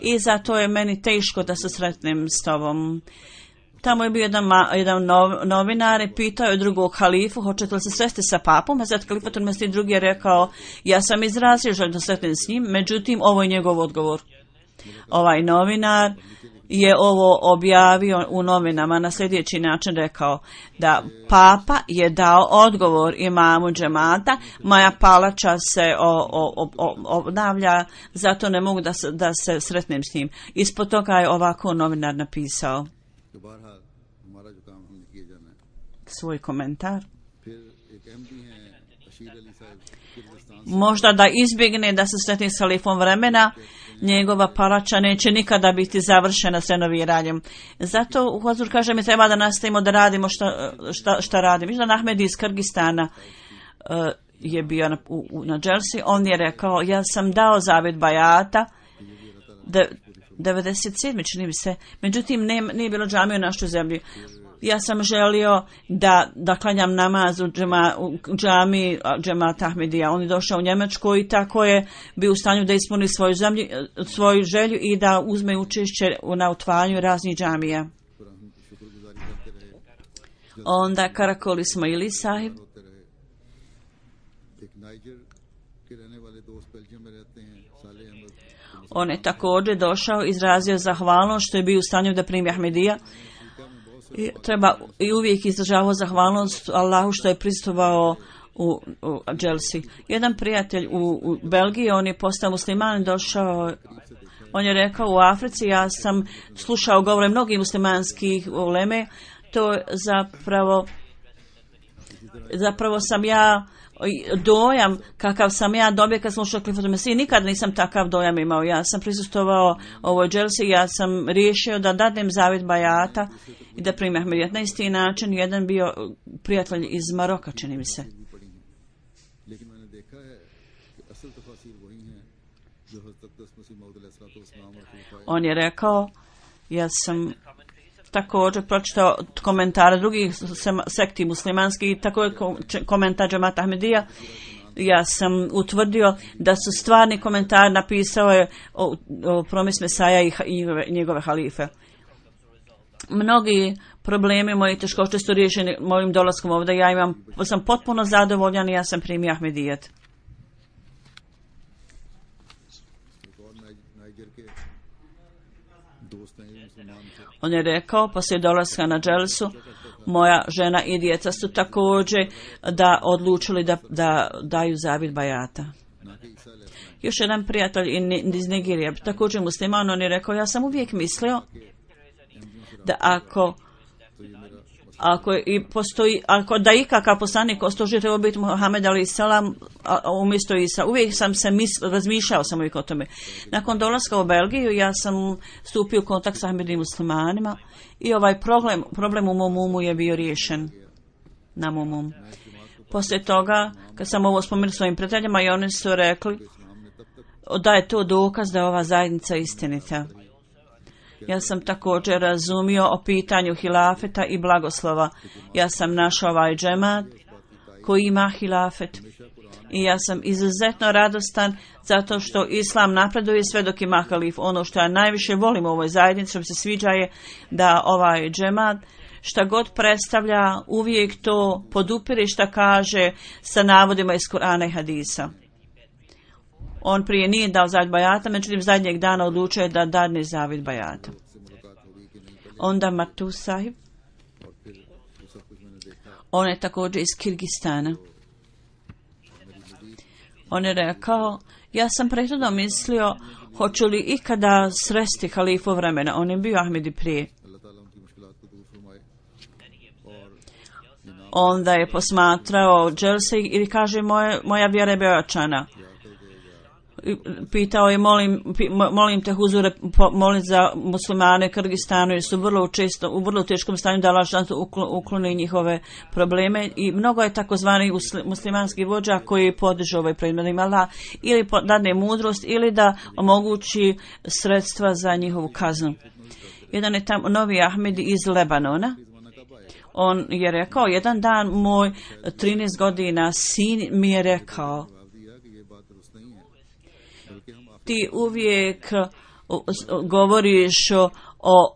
i zato je meni teško da se sretnem s tobom. Tamo je bio jedan novinar i pitao je drugog halifu, hoćete li se sresti sa papom? A sad Kalifatul Mesih II je rekao, ja sam izrazio želju da sretnem s njim, međutim ovo je njegov odgovor. Ovaj novinar je ovo objavio u novinama na sljedeći način, rekao da papa je dao odgovor imamu džemata, moja palača se obnavlja, zato ne mogu da se sretnem s njim. Ispod toga je ovako novinar napisao svoj komentar. Možda da izbjegne da se sretne s halifom vremena, njegova palača neće nikada biti završena s renoviranjem. Zato Huzur kaže mi treba da nastavimo da radimo šta radimo. Mišljan Ahmed iz Kyrgyzstana je bio na dželsi. On je rekao, ja sam dao zavjet bajata 97. čini mi se. Međutim, nije bilo džamije u našoj zemlji. Ja sam želio da klanjam namaz u džamiji džemata Ahmedija. On je došao u Njemačku i tako je bio u stanju da ispuni svoju želju i da uzme učešće na otvaranju raznih džamija. Onda Karakol Ismaili sahib. On je također došao, izrazio zahvalnost što je bio u stanju da primi Ahmedija. I uvijek izražavao zahvalnost Allahu što je prisustvovao u dželsi. Jedan prijatelj u Belgiji, on je postao musliman, došao, on je rekao u Africi, ja sam slušao govore mnogih muslimanskih uleme, to zapravo sam ja dojam kakav sam ja dobio kad sam ušao Kalifatul Mesih, nikad nisam takav dojam imao. Ja sam prisustvovao ovoj dželsi, ja sam riješio da dadem zavjet bajata i da primim Ahmedijat. Na isti način jedan bio prijatelj iz Maroka, čini mi se. On je rekao, ja sam također pročitao komentare drugih sekti muslimanskih i također komentar Džemata Ahmedija. Ja sam utvrdio da su stvarni komentar napisao je o promis Mesaja i njegove halife. Mnogi problemi moji teškoće su riješeni mojim dolaskom ovdje. Sam potpuno zadovoljan i ja sam primio Ahmedijet. On je rekao, poslije dolaska na dželsu, moja žena i djeca su također odlučili da daju zavjet bajata. Još jedan prijatelj iz Nigerije, također musliman, on je rekao, ja sam uvijek mislio da ako da ikakav poslanik ostoži treba biti Muhammed alejhi selam umjesto Isa. Uvijek sam se razmišljao sam uvijek o tome. Nakon dolaska u Belgiju ja sam stupio u kontakt sa Ahmedim muslimanima i ovaj problem u mom umu je bio riješen. Na mom umu. Poslije toga, kad sam ovo spomenuo svojim prijateljima i oni su rekli da je to dokaz da je ova zajednica istinita. Ja sam također razumio o pitanju hilafeta i blagoslova. Ja sam našao ovaj džemat koji ima hilafet. I ja sam izuzetno radostan zato što Islam napreduje sve dok ima halif. Ono što ja najviše volim u ovoj zajednici, što mi se sviđa je da ovaj džemat šta god predstavlja uvijek to podupire šta kaže sa navodima iz Kur'ana i hadisa. On prije nije dao zavjet bajata, međutim zadnjeg dana odlučio je da dadne zavjet bajata. Onda Matu Sahib, on je također iz Kirgistana. On je rekao, ja sam prethodno mislio, hoću li ikada sresti halifu vremena. On je bio Ahmedi prije. Onda je posmatrao dželse i kaže, moja vjera je beočana. Pitao je, molim te huzure, molim za muslimane Kirgistanu jer su u vrlo teškom stanju da Allah ukloni njihove probleme i mnogo je takozvani muslimanskih vođa koji podižu ovaj predmet Allah ili dadne mudrost ili da omogući sredstva za njihovu kaznu. Jedan je tamo novi Ahmedi iz Lebanona. On je rekao, jedan dan moj 13 godina sin mi je rekao, ti uvijek govoriš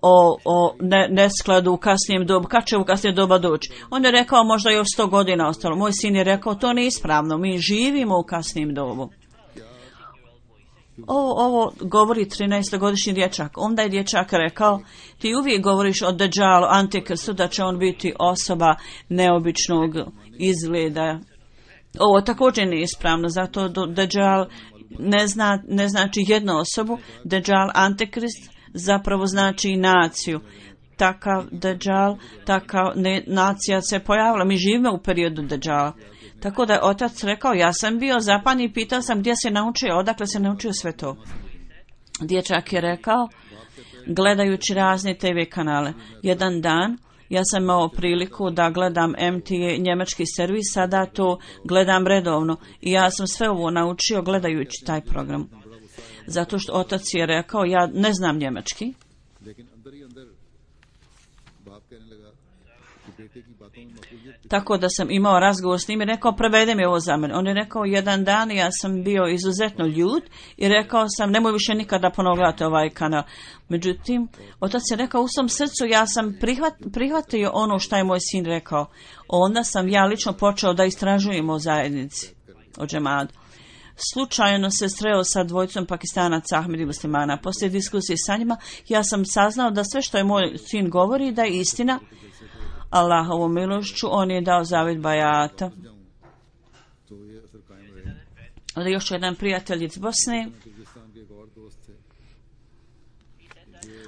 o neskladu u kasnijem dobu. Kad će u kasnijem doba doći? On je rekao možda još 100 godina ostalo. Moj sin je rekao to nije ispravno. Mi živimo u kasnijem dobu. Ovo govori 13-godišnji dječak. Onda je dječak rekao ti uvijek govoriš o Dejjalu, Antikrstu, da će on biti osoba neobičnog izgleda. Ovo također nije ispravno. Zato Dejjal ne znači jednu osobu. Dejjal, Antikrist, zapravo znači naciju. Takav Dejjal, takav nacija se pojavila. Mi živimo u periodu Dejjala. Tako da je otac rekao, ja sam bio zapan i pitao sam gdje se naučio, odakle se naučio sve to. Dječak je rekao, gledajući razne TV kanale. Jedan dan ja sam imao priliku da gledam MTA njemački servis, sada to gledam redovno i ja sam sve ovo naučio gledajući taj program. Zato što otac je rekao, ja ne znam njemački. Tako da sam imao razgovor s njim i rekao, prevede mi ovo za mene. On je rekao, jedan dan ja sam bio izuzetno ljut i rekao sam, nemoj više nikada ponovo gledati ovaj kanal. Međutim, otac je rekao, u svom srcu ja sam prihvatio ono što je moj sin rekao. Onda sam ja lično počeo da istražujem o zajednici, o džemadu. Slučajno se sreo sa dvojicom Pakistanaca Ahmedi muslimana. Poslije diskusije sa njima, ja sam saznao da sve što je moj sin govori da je istina. Allahovom milošću, on je dao zavjet bajata. Ali još jedan prijatelj iz Bosne.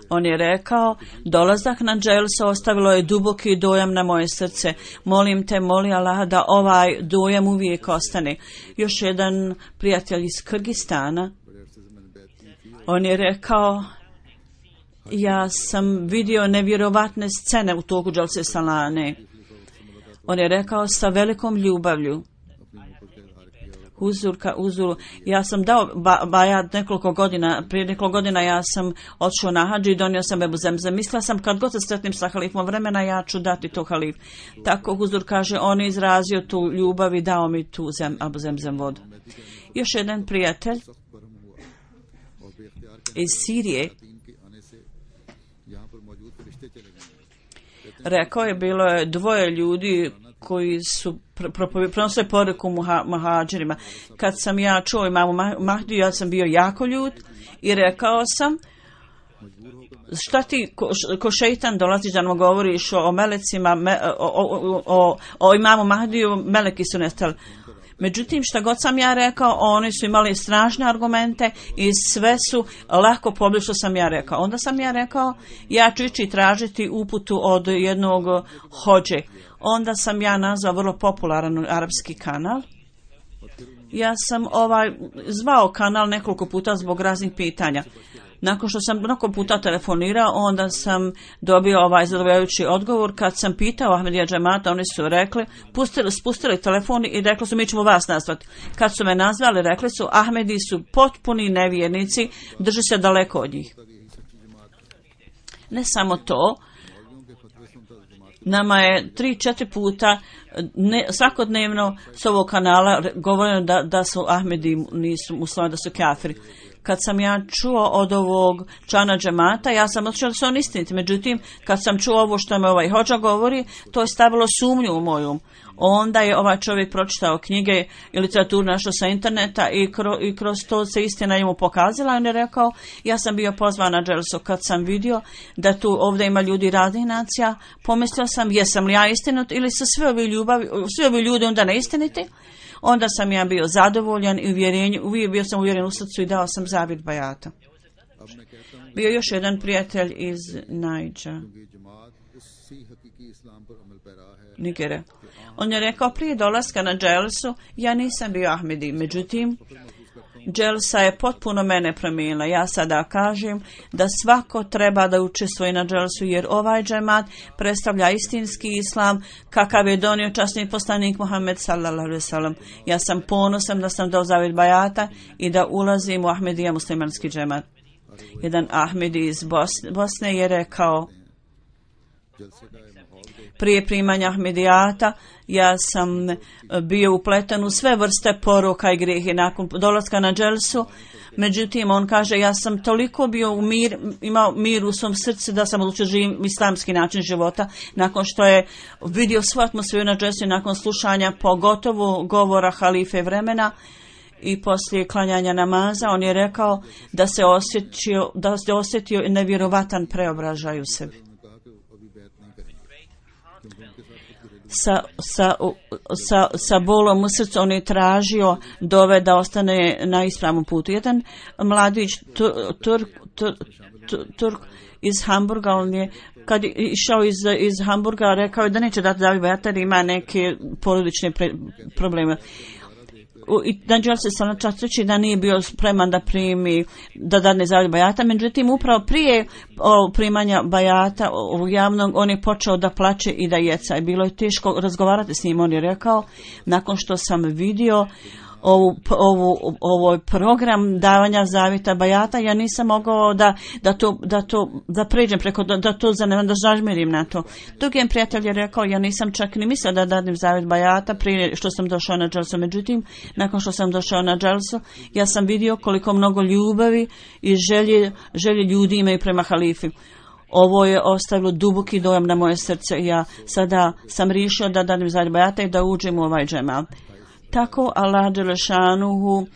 On je rekao, dolazak na dželsu ostavilo je duboki dojam na moje srce. Molim te, moli Allaha da ovaj dojam uvijek ostane. Još jedan prijatelj iz Kirgistana. On je rekao, ja sam vidio nevjerovatne scene u toku dželse salane. On je rekao sa velikom ljubavlju. Huzuru. Ja sam dao bajat prije nekoliko godina ja sam odšao na hadž i donio sam Ebu Zemzem. Mislila sam kad god se sretnim sa halifom vremena ja ću dati to halif. Tako Huzur kaže, on je izrazio tu ljubav i dao mi tu Ebu Zemzem vodu. Još jedan prijatelj iz Sirije rekao je, bilo je dvoje ljudi koji su prenosili poruku muhađirima. Kad sam ja čuo imamu Mahdiju, ja sam bio jako ljut i rekao sam, šta ti ko šeitan dolaziš da nam govoriš o melecima, o imamu Mahdiju, meleki su nestali. Međutim, šta god sam ja rekao, oni su imali strašne argumente i sve su lako pobili što sam ja rekao. Onda sam ja rekao, ja ću ići tražiti uputu od jednog hođe. Onda sam ja nazvao vrlo popularan arapski kanal. Ja sam zvao kanal nekoliko puta zbog raznih pitanja. Nakon što sam mnogo puta telefonirao, onda sam dobio zadovoljavajući odgovor. Kad sam pitao Ahmedija džemata, oni su rekli, spustili telefon i rekli su, mi ćemo vas nazvati. Kad su me nazvali, rekli su, Ahmedi su potpuni nevjernici, drži se daleko od njih. Ne samo to, nama je 3-4 puta svakodnevno s ovog kanala govoreno da su Ahmedi nisu muslimani, da su kafiri. Kad sam ja čuo od ovog člana džemata, ja sam otišao da su on istiniti. Međutim, kad sam čuo ovo što me ovaj hođa govori, to je stavilo sumnju u moju. Onda je ovaj čovjek pročitao knjige i literaturu našao sa interneta i kroz to se istina njemu pokazala. On je rekao, ja sam bio pozvan na dželsu. Kad sam vidio da tu ovdje ima ljudi raznih nacija, pomislio sam, jesam li ja istinit ili su svi ovi ljudi onda neistiniti? Onda sam ja bio zadovoljan i bio sam uvjeren u srcu i dao sam zavjet bajata. Bio još jedan prijatelj iz Nigere. On je rekao, prije dolaska na dželsu, ja nisam bio Ahmedi, međutim, dželsa je potpuno mene promijenila. Ja sada kažem da svako treba da učestvuje na dželsu, jer ovaj džemat predstavlja istinski islam kakav je donio časni poslanik Muhammed sallallahu alejhi ve sellem. Ja sam ponosan da sam dao zavjet bajata i da ulazim u Ahmedija muslimanski džemat. Jedan Ahmedi iz Bosne je rekao, prije primanja Ahmedijata ja sam bio upleten u sve vrste poroka i grijehe nakon dolaska na dželsu. Međutim, on kaže, ja sam toliko bio imao mir u svom srcu da sam odlučio živim islamski način života. Nakon što je vidio svu atmosferu na dželsu i nakon slušanja pogotovo govora halife vremena i poslije klanjanja namaza, on je rekao da se osjetio nevjerovatan preobražaj u sebi. Sa bolom u srcu on je tražio dove da ostane na ispravnom putu. Jedan mladić Turk iz Hamburga, on je kad je išao iz Hamburga rekao je da neće dati zavjet bajata jer ima neke porodične probleme. I Danđel se sam častići da nije bio spreman da primi, da dadne zavjet bajata, međutim upravo prije primanja bajata javnog on je počeo da plače i da jeca i bilo je teško razgovarati s njim. On je rekao, nakon što sam vidio ovaj program davanja zavjeta bajata, ja nisam mogao da pređem preko, da zažmirim na to. Drugi prijatelj je rekao, ja nisam čak ni mislio da dadim zavjet bajata prije što sam došao na dželsu. Međutim, nakon što sam došao na dželsu, ja sam vidio koliko mnogo ljubavi i želje ljudi imaju prema halifi. Ovo je ostavilo duboki dojam na moje srce i ja sada sam riješio da dadim zavjet bajata i da uđem u ovaj džemat. Tako Allah dželešanuhu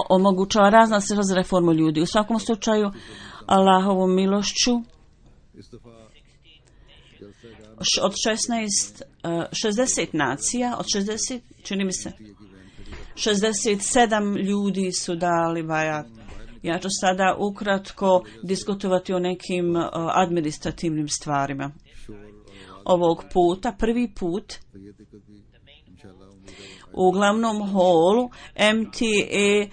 omogućava razna reformu ljudi. U svakom slučaju Allahovom milošću od 60 nacija, od 60, čini mi se, 67 ljudi su dali bajat. Ja ću sada ukratko diskutovati o nekim administrativnim stvarima. Ovog puta, prvi put, U glavnom holu MTA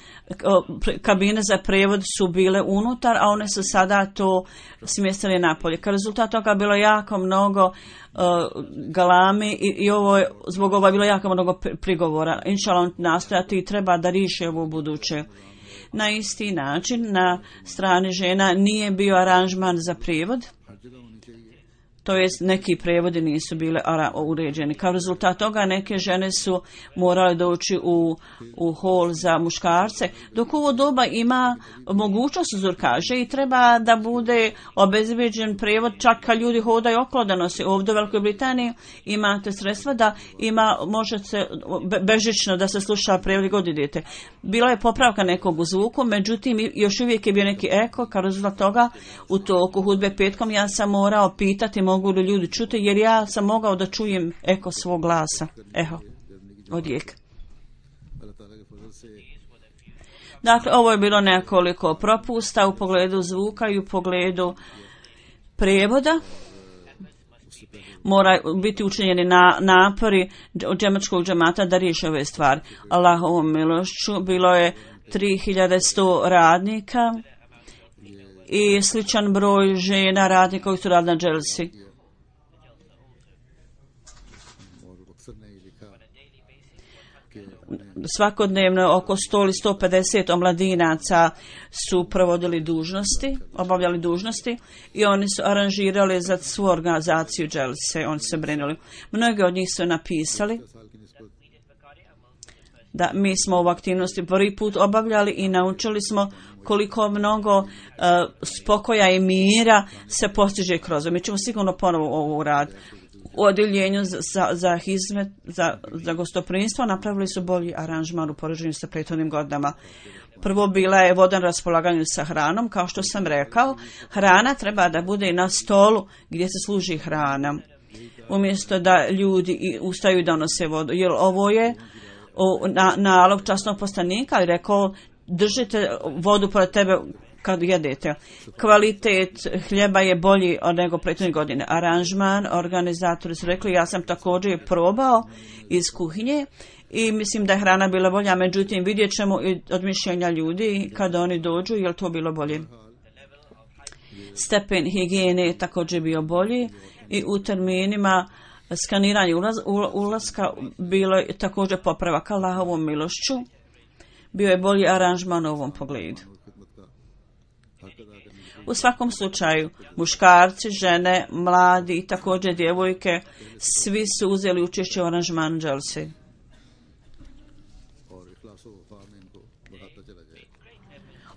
kabine za prijevod su bile unutar, a one su sada to smjestili napolje. Kao rezultat toga bilo jako mnogo galami i zbog ovoga je bilo jako mnogo prigovora. Inšallah nastojati i treba da riješi ovo u buduće. Na isti način na strani žena nije bio aranžman za prijevod. To jest neki prevodi nisu bile uređeni. Kao rezultat toga neke žene su morale doći u hol za muškarce, dok u ovo doba ima mogućnost uzurkaže i treba da bude obezbeđen prevod čak kad ljudi hodaju okolo da nosi. Ovdje u Velikoj Britaniji imate sredstva da može se bežično da se sluša prevod god idete. Bila je popravka nekog u zvuku, međutim još uvijek je bio neki eko. Kao rezultat toga u toku hudbe petkom ja sam morao pitati mogu li ljudi čuti, jer ja sam mogao da čujem eko svog glasa. Eho, odjek. Dakle, ovo je bilo nekoliko propusta u pogledu zvuka i u pogledu prijevoda. Mora biti učinjeni napori džemačkog džemata da riješi ove stvari. Allahovom milošću bilo je 3100 radnika i sličan broj žena radnika koji su radili na dželsi. Svakodnevno oko 100 ili 150 omladinaca su obavljali dužnosti i oni su aranžirali za svu organizaciju dželse, oni su se brinuli. Mnogi od njih su napisali da mi smo ovu aktivnosti prvi put obavljali i naučili smo koliko mnogo spokoja i mira se postiže kroz ovo. Mi ćemo sigurno ponovo ovo uraditi. U odjeljenju za gostoprimstvo napravili su bolji aranžman u poređenju sa prethodnim godinama. Prvo bila je voda na raspolaganju sa hranom, kao što sam rekao. Hrana treba da bude na stolu gdje se služi hrana. Umjesto da ljudi ustaju da nose vodu. Jer ovo je nalog časnog poslanika i rekao držite vodu pored tebe kad jedete. Kvalitet hljeba je bolji od nego prethodne godine. Aranžman, organizatori su rekli, ja sam također probao iz kuhinje i mislim da je hrana bila bolja, međutim vidjet ćemo i od mišljenja ljudi kada oni dođu, je li to bilo bolje. Stepen higijene je također bio bolji i u terminima skaniranja ulaska bilo je također popravak. Allahovom milošću bio je bolji aranžman u ovom pogledu. U svakom slučaju, muškarci, žene, mladi i također djevojke, svi su uzeli učešće u aranžmanu dželse.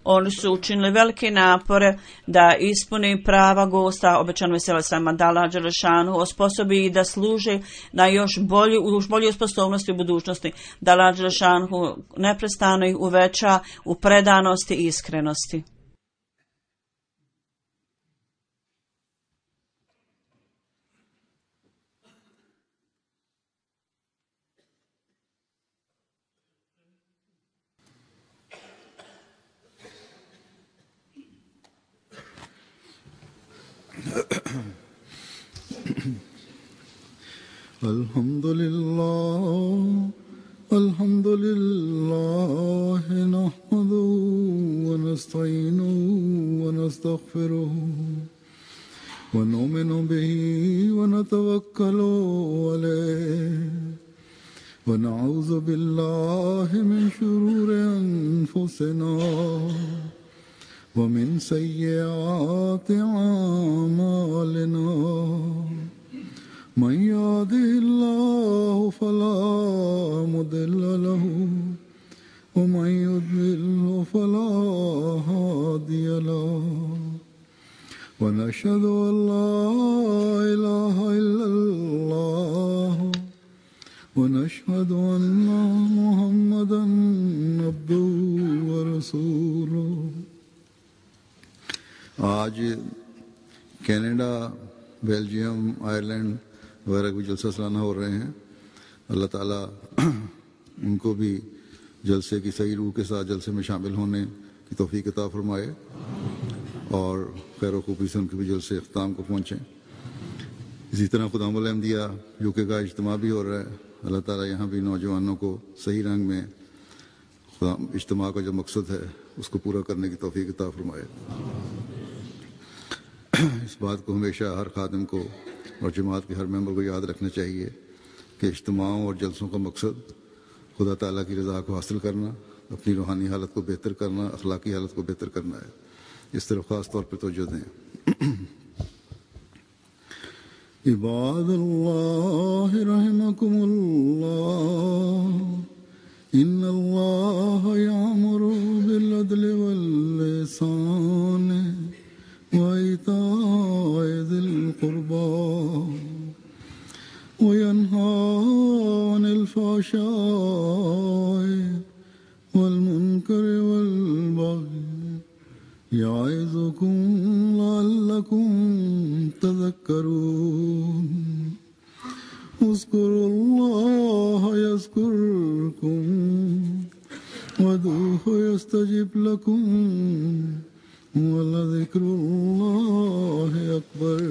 Oni su učinili velike napore da ispuni prava gosta, obećano vesela sama da Allah dželešanu osposobi i da služe na još bolju sposobnosti u budućnosti, da Allah dželešanu neprestano ih uveća u predanosti i iskrenosti. Alhamdulillah nahmaduhu wa nasta'inuhu wa nastaghfiruhu wa nu'minu bihi wa natawakkalu alayhi wa na'udhu billahi min shururi anfusina wa min sayyiati a'malina. من يهده الله فلا مضل له ومن يضلل فلا هادي له ونشهد أن لا إله إلا الله ونشهد أن محمدا عبده ورسوله. आज Canada, Belgium, Ireland वगैरह भी जलसा सालाना हो रहे हैं. अल्लाह ताला उनको भी जलसे की सही रूह के साथ जलसे में शामिल होने की तौफीक अता फरमाए और खैर खूबी से उनके भी जलसे अख्ताम को पहुँचें. इसी तरह खुदामुल अहमदिया यूके का इज्तिमा भी हो रहा है. अल्लाह ताला यहाँ भी नौजवानों को सही रंग में इज्तिमा का जो मकसद है उसको पूरा करने की तौफीक अता फरमाए। इस बात को हमेशा हर खादिम को और जमात के हर मेंबर को याद रखना चाहिए कि इज्तिमाओं और जलसों का मकसद खुदा ताला की रज़ा को हासिल करना, अपनी रूहानी हालत को बेहतर करना, अखलाकी हालत को बेहतर करना है। इस तरफ ख़ास तौर पर तवज्जो दें। इबादल्लाह रहमकुमुल्लाह इन्नल्लाह यामुरु बिल अदलि वल इहसान व इताइ ज़िल कुर्बा व यन्हा अनिल फ़हशाइ वल मुनकरि वल बग़य याइज़ुकुम लअल्लकुम तज़क्करून उज़्कुरुल्लाह यज़्कुरकुम वदूहु यस्तजिब लकुम वलज़िक्रुल्लाहि अकबर।